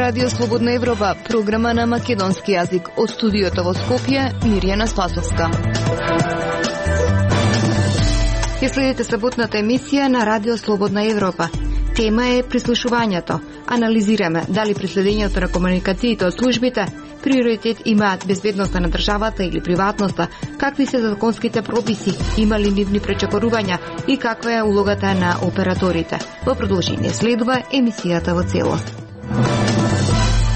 Радио Слободна Европа, програма на македонски јазик. Од студиото во Скопје, Мирјана Спасовска. Ја следите саботната емисија на Радио Слободна Европа. Тема е прислушувањето. Анализираме дали при следењето на комуникациите од службите приоритет имаат безбедноста на државата или приватноста, какви се законските прописи, има ли нивни пречекорувања и каква е улогата на операторите. Во продолжение следува емисијата во целост.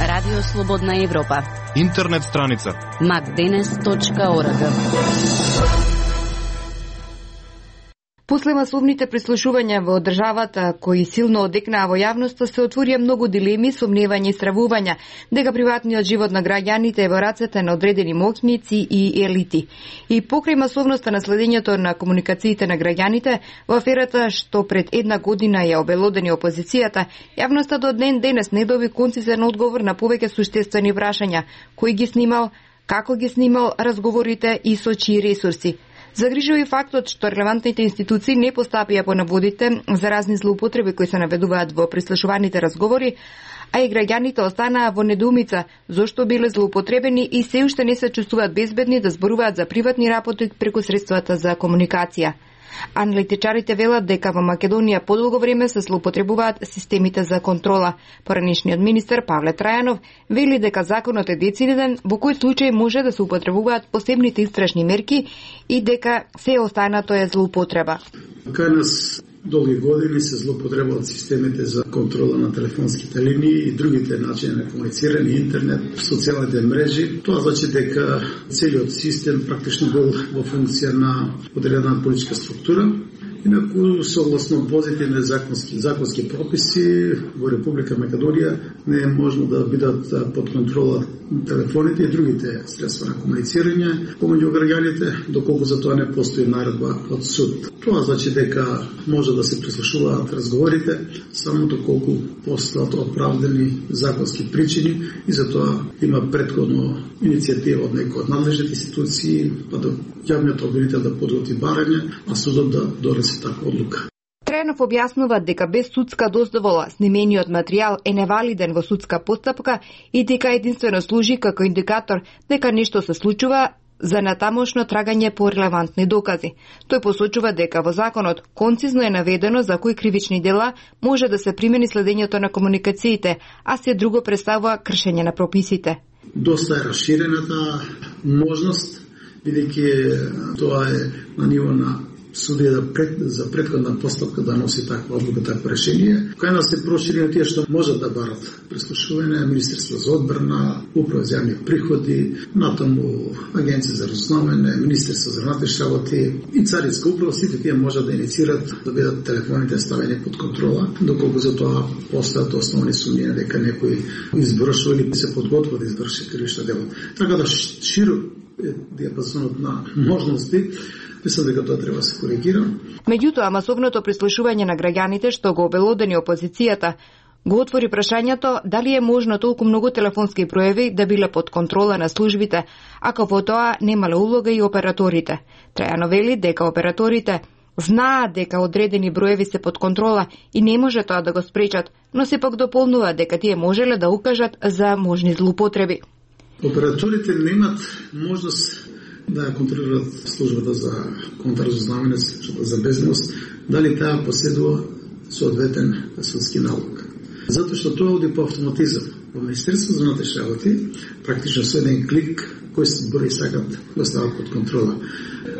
Радио Слободна Европа. Интернет страница macdenes.org. После масовните прислушувања во државата, кои силно одекнаа во јавноста, се отворија многу дилеми, сомневања и стравувања дека приватниот живот на граѓаните е во рацете на одредени моќници и елити. И покрај масовноста на следењето на комуникациите на граѓаните, во аферата што пред една година ја обелодени опозицијата, јавноста до ден денес не доби концизен одговор на повеќе суштествени прашања: кој ги снимал, како ги снимал разговорите и со чии ресурси. Загрижува и фактот што релевантните институции не постапија по наводите за разни злоупотреби кои се наведуваат во прислушуваните разговори, а и граѓаните останаа во недоумица зошто биле злоупотребени и се уште не се чувствуваат безбедни да зборуваат за приватни работи преку средствата за комуникација. Аналитичарите велат дека во Македонија подолго време се злоупотребуваат системите за контрола. Поранешниот министер Павле Трајанов вели дека законот е дециден во кој случај може да се употребуваат посебните истражни мерки и дека се останато е злоупотреба. Кај нас долги години се злоупотребуваат системите за контрола на телефонските линии и другите начини на комуницирање, интернет, социјалните мрежи. Тоа значи дека целиот систем практично бил во функција на одредена политичка структура. Инаку, согласно позитивни законски прописи во Република Македонија не е можно да бидат под контрола телефоните и другите средства на комуницирање помеѓу граѓаните, доколку за тоа не постои наредба од суд. Тоа значи дека може да се прислушуваат разговорите само доколку постојат оправдани законски причини и за тоа има претходно иницијатива од некои од надлежните институции, па до јавниот обвинител да подготви барање, а судот да донесе таква одлука. Трајанов објаснува дека без судска дозвола снимениот материјал е невалиден во судска постапка и дека единствено служи како индикатор дека нешто се случува за натамошно трагање по релевантни докази. Тој посочува дека во законот концизно е наведено за кои кривични дела може да се примени следењето на комуникациите, а се друго представува кршење на прописите. Доста е расширената можност, бидејќи тоа е на ниво на судија за претходна постапка да носи таква одлука, такво решение. Кај нас се проширено тие што можат да барат прислушување, Министерство за одбрана, Управа за јавни приходи, натаму Агенција за разузнавање, Министерство за внатрешни работи и Царинска управа, сите тие можат да инициират да бидат телефоните ставени под контрола, доколку за тоа постојат основни сумњи дека некој извршува или се подготвува да изврши кривично дело. Така да широк е диапазонот на можности. Мислам дека тоа треба да се коригира. Меѓутоа, масовното прислушување на граѓаните што го обелодени опозицијата го отвори прашањето дали е можно толку многу телефонски броеви да биле под контрола на службите, ако во тоа немале улога и операторите. Трајанов вели дека операторите знаат дека одредени броеви се под контрола и не може тоа да го спречат, но сепак дополнува дека тие можеле да укажат за можни злоупотреби. Операторите немат можност да контролираат службата за контрразузнавање, за безбедност, дали таа поседува соодветен судски налог. Затоа што тоа оди по автоматизам. Во Министерство за внатрешни работи практично со еден клик кои брои сакат да стават под контрола.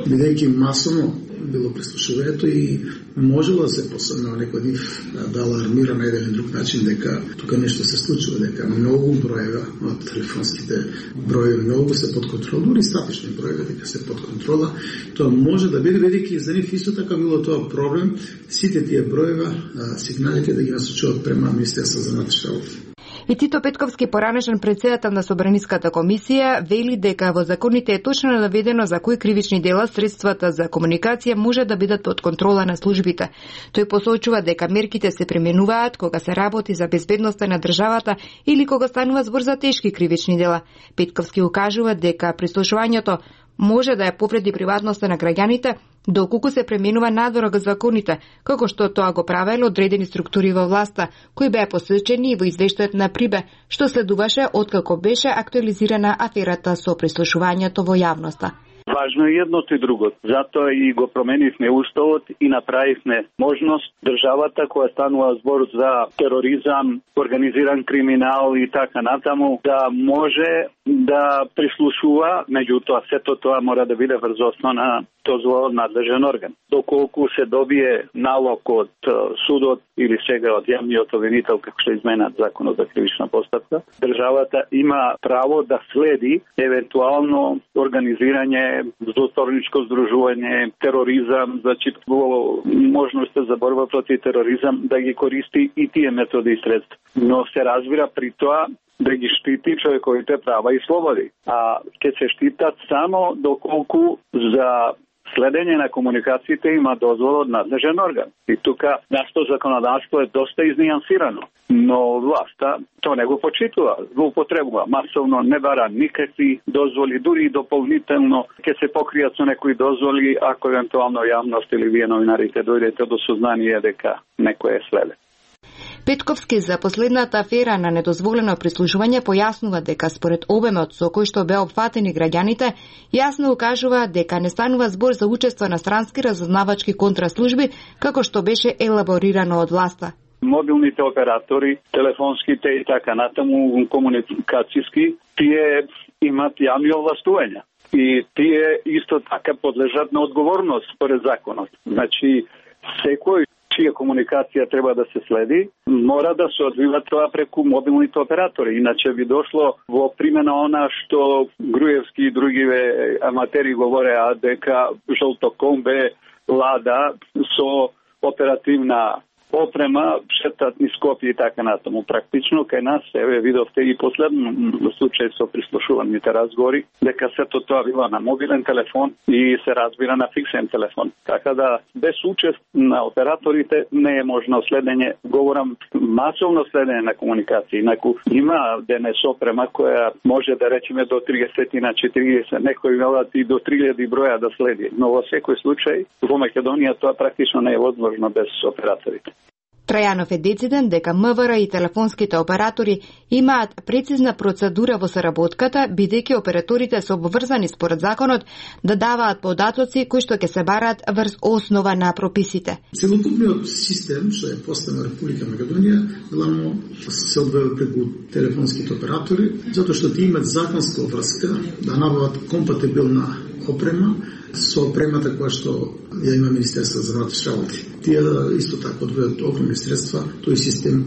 Бидејќи масовно било прислушувањето и можело да се посебно некој див да алармира на еден или друг начин дека тука нешто се случува, дека многу броева од телефонските броеви многу се под контрола, дури статични броеви дека се под контрола. Тоа може да биде, бидејќи за нив исто така било тоа проблем, сите тие броева, сигналите да ги насочуваат према Министерство за внатрешни работи. И Тито Петковски, поранешен претседател на Собраниската комисија, вели дека во законите е точно наведено за кои кривични дела средствата за комуникација може да бидат под контрола на службите. Тој посочува дека мерките се применуваат кога се работи за безбедноста на државата или кога станува збор за тешки кривични дела. Петковски укажува дека прислушувањето може да ја повреди приватноста на граѓаните, доколку се пременува надзорот за законите, како што тоа го правело одредени структури во власта, кои беа посечени во извештајот на Прибе, што следуваше откако беше актуализирана аферата со прислушувањето во јавноста. Важно е едното и другото. Затоа и го променивме уставот и направивме можност државата која станува збор за тероризам, организиран криминал и така натаму, да може да прислушува, меѓутоа сето тоа мора да биде врз основа на дозвола од надлежен орган. Доколку се добие налог од судот или сега од јавниот обвинител, како што изменат законот за кривична постапка, државата има право да следи евентуално организирање, злоторничко здружување, тероризам, значи во можноста за борба против тероризам да ги користи и тие методи и средства. Но се разбира при тоа да ги штити човековите права и слободи. А ќе се штитат само доколку за следење на комуникациите има дозвол од надлежен орган. И тука нашето законодавство е доста изнијансирано, но власта тоа не го почитува, злоупотребува, масовно не бара никакви дозволи, дури и дополнително ќе се покријат со некои дозволи ако евентуално јавност или вие новинарите дојдете до сознание дека некој е следен. Петковски за последната афера на недозволено прислушување појаснува дека според обемот со кој што беа опфатени граѓаните, јасно укажува дека не станува збор за учество на странски разузнавачки контраслужби, како што беше елаборирано од власта. Мобилните оператори, телефонските и така натаму комуникацијски, тие имат јавни овластувања. И тие исто така подлежат на одговорност според законот. Значи, секој чија комуникација треба да се следи, мора да се одвива тоа преку мобилните оператори. Иначе би дошло во примена она што Груевски и другиве аматери говореа дека Жолтокомбе Лада со оперативна опрема шетат низ Скопје и така натаму. Практично кај нас, еве видовте и последно случај со прислушуваните разговори, дека сето тоа била на мобилен телефон и се разбира на фиксен телефон. Така да без учест на операторите не е можно следење, говорам масовно следење на комуникации. Инаку има денес опрема која може да речеме до 30 на 40, некои велат и до 3000 броја да следи. Но во секој случај во Македонија тоа практично не е возможно без операторите. Трајанов е дециден дека МВР и телефонските оператори имаат прецизна процедура во соработката, бидејќи операторите се обврзани според законот да даваат податоци кои што ќе се бараат врз основа на прописите. Целокупниот систем што е поставен во Република Македонија главно се одвива преку телефонските оператори, затоа што ти имаат законска врска да набават компатибилна опрема со опремата која што ја има Министерство за внатрешни работи. Тие исто така одвојат огромни средства тој систем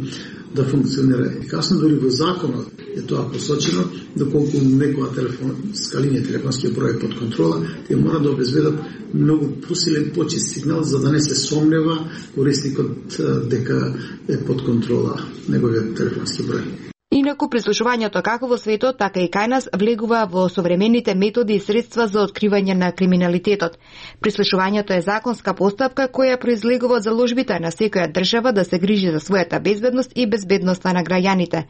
да функционира ефикасно. Дори во законот е тоа посочено, доколку некоја телефонска линија, телефонскиот број под контрола, тие мора да обезбедат многу посилен почист сигнал за да не се сомнева корисникот дека е под контрола неговиот телефонски број. Инаку прислушувањето како во светот, така и кај нас влегува во современите методи и средства за откривање на криминалитетот. Прислушувањето е законска постапка која произлегува од заложбите на секоја држава да се грижи за својата безбедност и безбедноста на граѓаните.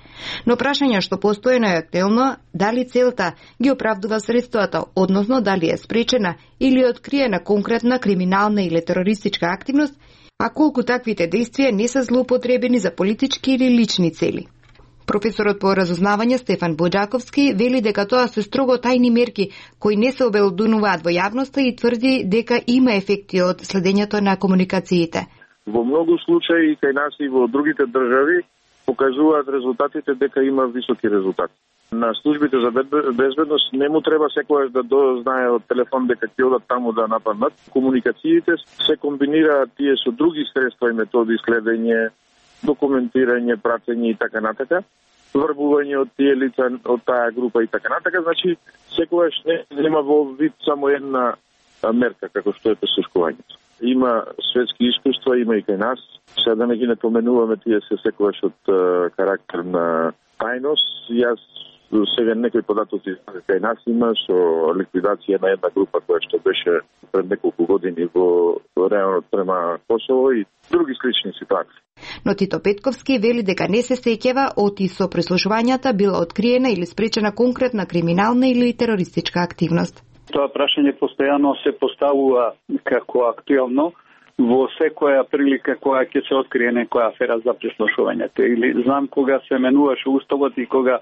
Но прашање што постојано е актуелно, дали целта ги оправдува средствата, односно дали е спречена или откриена конкретна криминална или терористичка активност, а колку таквите действија не се злоупотребени за политички или лични цели. Професорот по разузнавање Стефан Боџаковски вели дека тоа се строго тајни мерки кои не се обелодунуваат во јавноста и тврди дека има ефекти од следењето на комуникациите. Во многу случаи кај нас и во другите држави покажуваат резултатите дека има високи резултати. На службите за безбедност не му треба секогаш да дознае од телефон дека ќе одат таму да нападнат. Комуникациите се комбинираат тие со други средства и методи, следење, документирање, пратење и така натака, врбување од тие лица од таа група и така натака. Значи, секогаш не нема во вид само една мерка како што е прислушувањето. Има светски искуства, има и кај нас. Сега да не ги напоменуваме, тие се секогаш од карактер на тајност. Јас сега некои податоци кај нас има со ликвидација на една група која што беше пред неколку години во районот према Косово и други слични ситуации. Но Тито Петковски вели дека не се сеќава оти со прислушувањата била откриена или спречена конкретна криминална или терористичка активност. Тоа прашање постојано се поставува како актуелно во секоја прилика која ќе се открие некоја афера за прислушувањето. Или знам кога се менуваше уставот и кога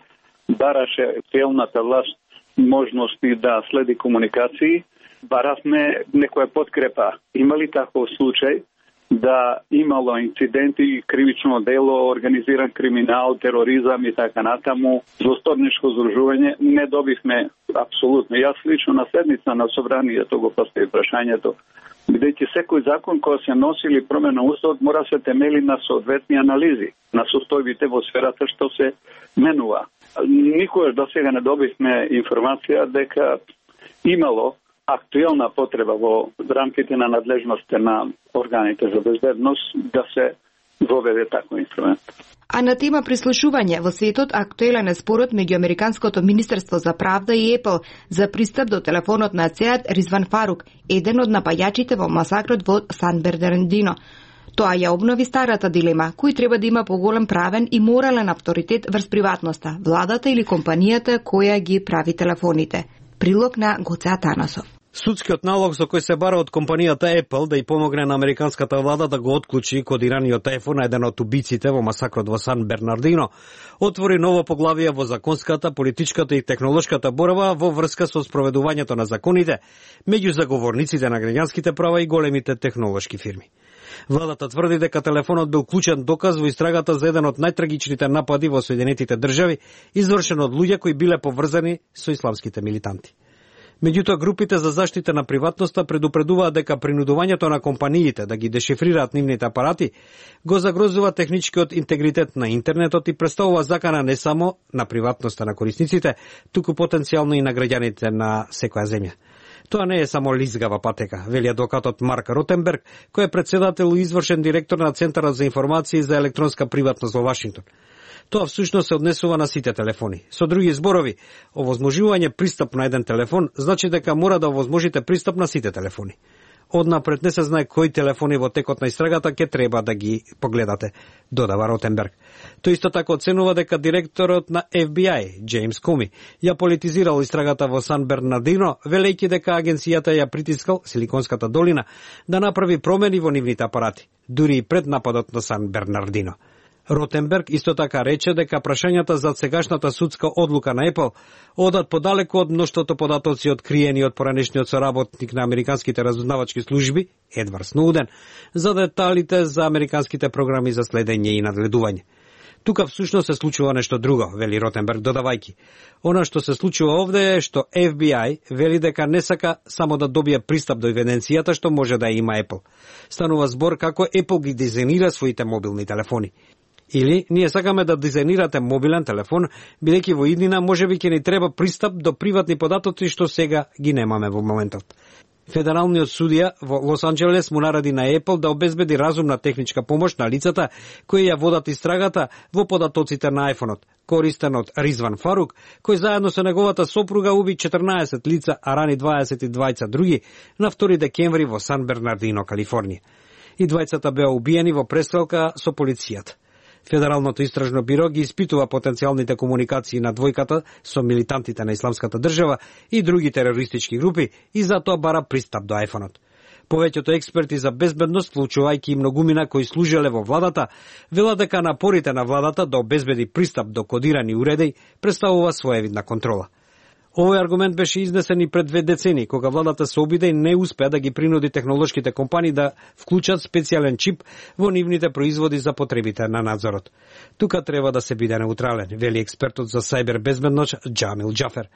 бараше целната власт можности да следи комуникации, баравме некоја подкрепа. Има ли таков случај да имало инциденти, кривично дело, организиран криминал, тероризам и така натаму, злосторничко здружување? Не добивме апсолутно. Јас лично на седница на собранието го постави прашањето, бидејќи секој закон кој се носи или промена уставот мора се темели на соодветни анализи, на состојбите во сферата што се менува. Никогаш до сега не добивме информација дека имало актуелна потреба во рамките на надлежностите на органите за безбедност да се воведе таков инструмент. А на тема прислушување во светот актуелен е спорот меѓу Американското министерство за правда и Apple за пристап до телефонот на Сеат Ризван Фарук, еден од напаѓачите во масакрот во Сан Бернардино. Тоа ја обнови старата дилема, кој треба да има поголем правен и морален авторитет врз приватноста, владата или компанијата која ги прави телефоните. Прилог на Гоце Атанасов. Судскиот налог со кој се бара од компанијата Apple да ја помогне на американската влада да го отклучи кодираниот iPhone, еден од убиците во масакрот во Сан Бернардино, отвори ново поглавие во законската, политичката и технолошката борба во врска со спроведувањето на законите меѓу заговорниците на граѓанските права и големите технолошки фирми. Владата тврди дека телефонот бил клучен доказ во истрагата за еден од најтрагичните напади во Соединетите држави, извршен од луѓе кои биле поврзани со исламските милитанти. Меѓутоа, групите за заштита на приватноста предупредуваат дека принудувањето на компаниите да ги дешифрираат нивните апарати го загрозува техничкиот интегритет на интернетот и представува закана не само на приватноста на корисниците, туку потенцијално и на граѓаните на секоја земја. Тоа не е само лизгава патека, вели адвокатот Марк Ротенберг, кој е председател и извршен директор на Центарот за информации за електронска приватност во Вашингтон. Тоа всушност се однесува на сите телефони. Со други зборови, овозможување пристап на еден телефон значи дека мора да овозможите пристап на сите телефони. Однапред не се знае кои телефони во текот на истрагата ќе треба да ги погледате, додава Ротенберг. Тој исто така оценува дека директорот на FBI, Джеймс Коми, ја политизирал истрагата во Сан Бернардино, велејќи дека агенцијата ја притискал Силиконската долина да направи промени во нивните апарати, дури и пред нападот на Сан Бернардино. Ротенберг исто така рече дека прашањата за сегашната судска одлука на Apple одат подалеку од мноштвото податоци откриени од поранешниот соработник на американските разузнавачки служби, Едвард Сноуден, за деталите за американските програми за следење и надледување. Тука всушност се случува нешто друго, вели Ротенберг додавајки. Она што се случува овде е што FBI вели дека не сака само да добие пристап до евиденцијата што може да има Apple. Станува збор како Apple ги дизајнира своите мобилни телефони. Или ние сакаме да дизајнирате мобилен телефон, бидејќи во иднина можеби ќе ни треба пристап до приватни податоци што сега ги немаме во моментот. Федералниот судија во Лос Анџелес му нареди на Apple да обезбеди разумна техничка помош на лицата кои ја водат истрагата во податоците на iPhone-от, користен од Ризван Фарук, кој заедно со неговата сопруга уби 14 лица, а рани 22 други на 2 декември во Сан Бернардино, Калифорнија. И двајцата беа убиени во престрелка со полицијата. Федералното истражно биро ги испитува потенцијалните комуникации на двојката со милитантите на Исламската држава и други терористички групи и затоа бара пристап до iPhone-от. Повеќето експерти за безбедност, вклучувајќи и многумина кои служеле во владата, велат дека напорите на владата да обезбеди пристап до кодирани уреди представува своевидна контрола. Овој аргумент беше изнесен и пред 2 децении, кога владата се обиде и не успеа да ги принуди технолошките компании да вклучат специјален чип во нивните производи за потребите на надзорот. Тука треба да се биде неутрален, вели експертот за сајбер безбедност Џамил Џафер.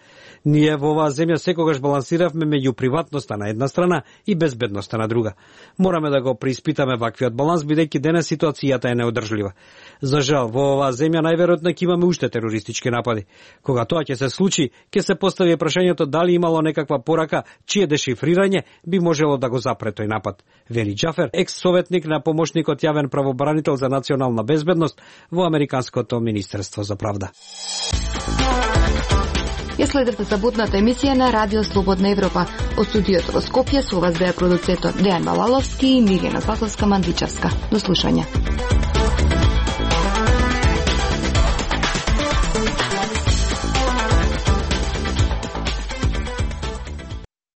Ние во оваа земја секогаш балансиравме меѓу приватноста на една страна и безбедноста на друга. Мораме да го преиспитаме ваквиот баланс, бидејќи денес ситуацијата е неодржлива. За жал, во оваа земја најверојатно ќе имаме уште терористички напади. Кога тоа ќе се случи, ќе се постави прашањето дали имало некаква порака чие дешифрирање би можело да го запре тој напад. Вели Џафер, екс-советник на помошникот јавен правобранител за национална безбедност во Американското министерство за правда. Ја следевте саботната емисија на Радио Слободна Европа. Од студиото во Скопје со вас беа продуцентот Дејан Балаловски и Милена Саковска-Мандичевска. До слушање.